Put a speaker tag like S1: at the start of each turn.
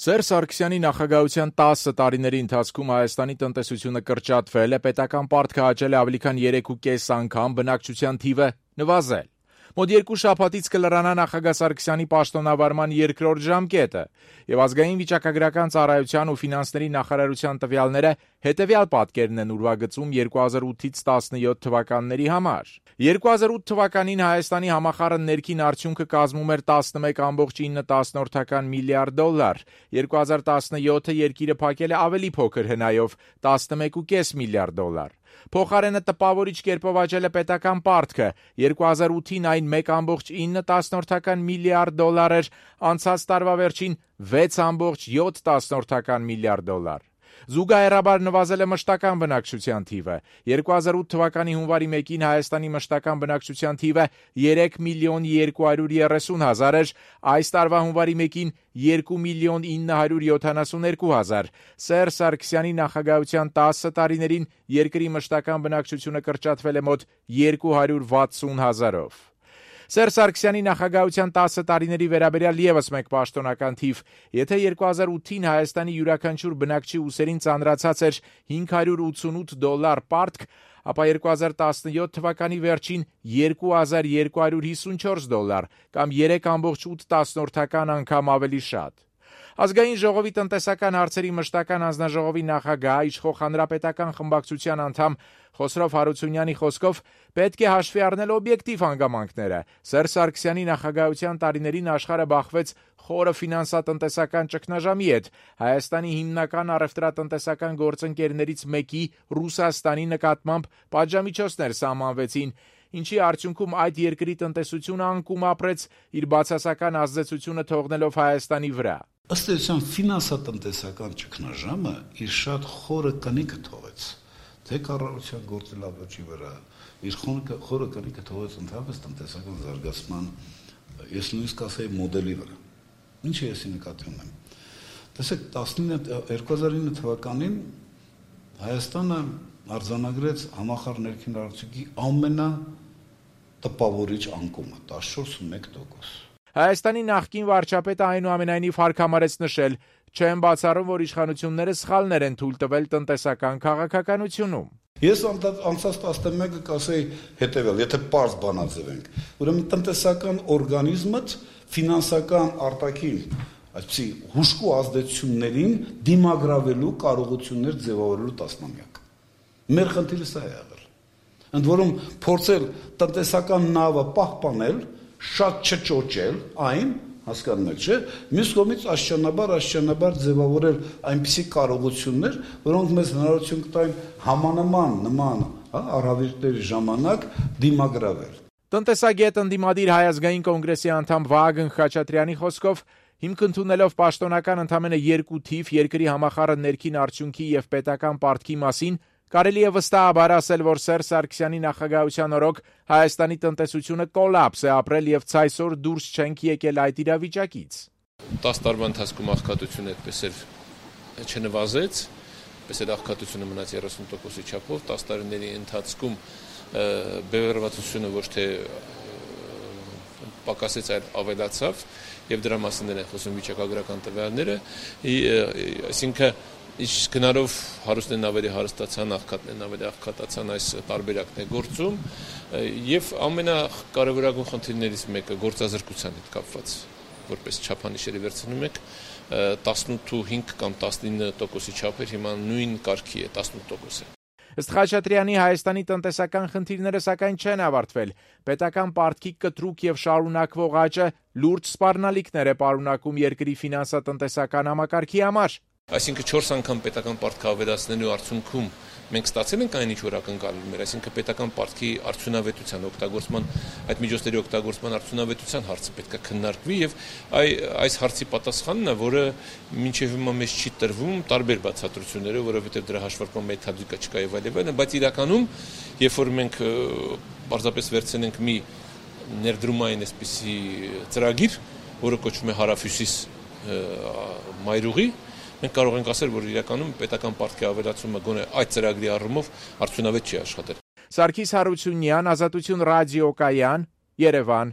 S1: Սերժ Սարգսյանի նախագահության 10 տարիների ընթացքում Հայաստանի տնտեսությունը կրճատվել է, պետական պարտքը աճել է ավելի քան 3.5 անգամ, բնակչության թիվը նվազել։ Մոտ 2 շաբաթից կլրանա նախագահ Սարգսյանի պաշտոնավարման երկրորդ ժամկետը, եւ ազգային վիճակագրական ծառայության ու ֆինանսների նախարարության տվյալները հետեւյալ պատկերն են ուրվագծում 2008-ից 17 թվականների համար։ 2008 թվականին Հայաստանի համախառն ներքին արդյունքը կազմում էր 11.9 միլիարդ դոլար, 2017-ը երկիրը փակել է ավելի փոքր հնայով 11.5 միլիարդ դոլար։ Փոխարենը տպավորիչ կերպով աճել է պետական պարտքը, 2008-ին այն 1.9 միլիարդ դոլար էր, անցած տարվա վերջին 6.7 միլիարդ դոլար։ Զուգահեռաբար նվազել է մշտական բնակչության թիվը։ 2008 թվականի հունվարի 1-ին Հայաստանի մշտական բնակչության թիվը 3.230.000 էր, այս տարվա հունվարի 1-ին 2.972.000։ Սերժ Սարգսյանի նախագահության 10 տարիներին երկրի մշտական բնակչությունը կրճատվել է մոտ 260,000-ով։ Սերժ Սարգսյանի նախագահության 10 տարիների վերաբերյալ ևս մեկ պաշտոնական թիվ. եթե 2008-ին Հայաստանի յուրաքանչյուր բնակչի ուսերին ծանրացած էր $588 պարտք, ապա 2017 թվականի վերջին $2254 կամ 3.8 անգամ ավելի շատ։ Ազգային ժողովի տնտեսական հարցերի մշտական հանձնաժողովի նախագահ, իշխող հանրապետական խմբակցության անդամ Խոսրով Հարությունյանի խոսքով պետք է հաշվի առնել օբյեկտիվ հանգամանքները։ Սերժ Սարգսյանի նախագահության տարիներին աշխարհը բախվեց խորը ֆինանսատնտեսական ճգնաժամի հետ։ Հայաստանի հիմնական առևտրատնտեսական գործընկերներից մեկի Ռուսաստանի նկատմամբ պատժամիջոցներ սահմանվեցին, ինչի արդյունքում այդ երկրի տնտեսությունը անկում ապրեց, իր բացասական ազդեցությունը թողնելով Հայաստանի վրա։
S2: Ըստ էության ֆինանսատնտեսական ճգնաժամը իր շատ խորը կնիքը թողեց թե կառավարության գործելավերջի վրա, իր խորը կնիքը թողեց ընդհանրապես տնտեսական զարգացման, ես նույնիսկ ասեի մոդելի վրա։ Ինչ է ես նկատի ունեմ։ Տեսեք, 2009 թվականին Հայաստանը արձանագրեց համախառն ներքին արդյունքի ամենատպավորիչ անկումը 14.1%։
S1: Հայաստանի նախկին վարչապետը այնուամենայնիվ հարկամարեց նշել. չեմ բացառում, որ իշխանությունները սխալներ են թույլ տվել տնտեսական քաղաքականությունում։
S2: Ես անցած 11-ը կասեի հետևյալ, եթե պարզ բանաձևենք, ուրեմն տնտեսական օրգանիզմը ֆինանսական արտաքին այսպիսի հուժկու ազդեցություններին դիմագրավելու կարողություններ ձևավորելու տասնամյակ։ Մեր խնդիրը սա է եղել։ Ընդ որում փորձել տնտեսական նավը պահպանել, շատ չճոճել այն, հասկանում եք, չէ՞, մյուս կողմից աշճանաբար ձևավորել այնպիսի կարողություններ, որոնք մեզ հնարավորություն կտային նման առավիրտների ժամանակ դիմագրավել։
S1: Տնտեսագետ ընդդիմադիր Հայ ազգային կոնգրեսի անդամ Վահագն Խաչատրյանի խոսքով հիմք ընդունելով պաշտոնական ընդամենը 2 թիվ երկրի համախառն ներքին արդյունքի եւ պետական պարտքի մասին, կարելի է վստահաբար ասել, որ Սերժ Սարգսյանի նախագահության օրոք Հայաստանի տնտեսությունը կոլապս է ապրել եւ ցայսօր դուրս չենք եկել այդ իրավիճակից։
S3: 10 տարվա ընթացքում աղքատությունը այդպես էլ չնվազեց, այդպես էլ աղքատությունը մնաց 30%-ի չափով, 10 տարիների ընթացքում բևեռվածությունը ոչ թե պակասեց, այլ ավելացավ եւ դրա մասին են խոսում վիճակագրական տվյալները, այսինքն Իսկ գնալով հարուստներն ավելի հարստացան, աղքատներն ավելի աղքատացան, այս տարբերակն է գործում եւ ամենակարևորագույն խնդիրներից մեկը գործազրկության հետ կապված, որպես չափանիշերի վերցնում եք 18.5 կամ 19%-ի չափեր, հիմա նույն կարգի է 18%։
S1: Ըստ Խաչատրյանի Հայաստանի տնտեսական խնդիրները սակայն չեն ավարտվել։ Պետական պարտքի կտրուկ եւ շարունակվող աճը լուրջ սպառնալիքներ է պարունակում երկրի ֆինանսատնտեսական համակարգի համար։
S3: Այսինքն 4 անգամ պետական պարտքը ավելացնելու արդյունքում մենք ստացել ենք այն ինչ որ ակնկալում էր, այսինքն պետական պարտքի արդյունավետության օգտագործման, այդ միջոցների օգտագործման արդյունավետության հարցը պետք է քննարկվի եւ այս հարցի պատասխանն է, որը մինչեւ հիմա մեզ չի տրվում տարբեր բացատրություններով, որովհետեւ դրա հաշվարկման մեթոդիկա չկա եւ այլն, բայց իրականում երբ որ մենք պարզապես վերցնենք մի ներդրումային այսպիսի ծրագիր, որը կոչվում է Հարավհյուսիս մայրուղի, մենք կարող ենք ասել, որ իրականում պետական պարտքի ավելացումը գոնե այդ ծրագրի առումով արդյունավետ չի աշխատել։
S1: Սարգիս Հարությունյան, Ազատություն ռադիոկայան, Երևան։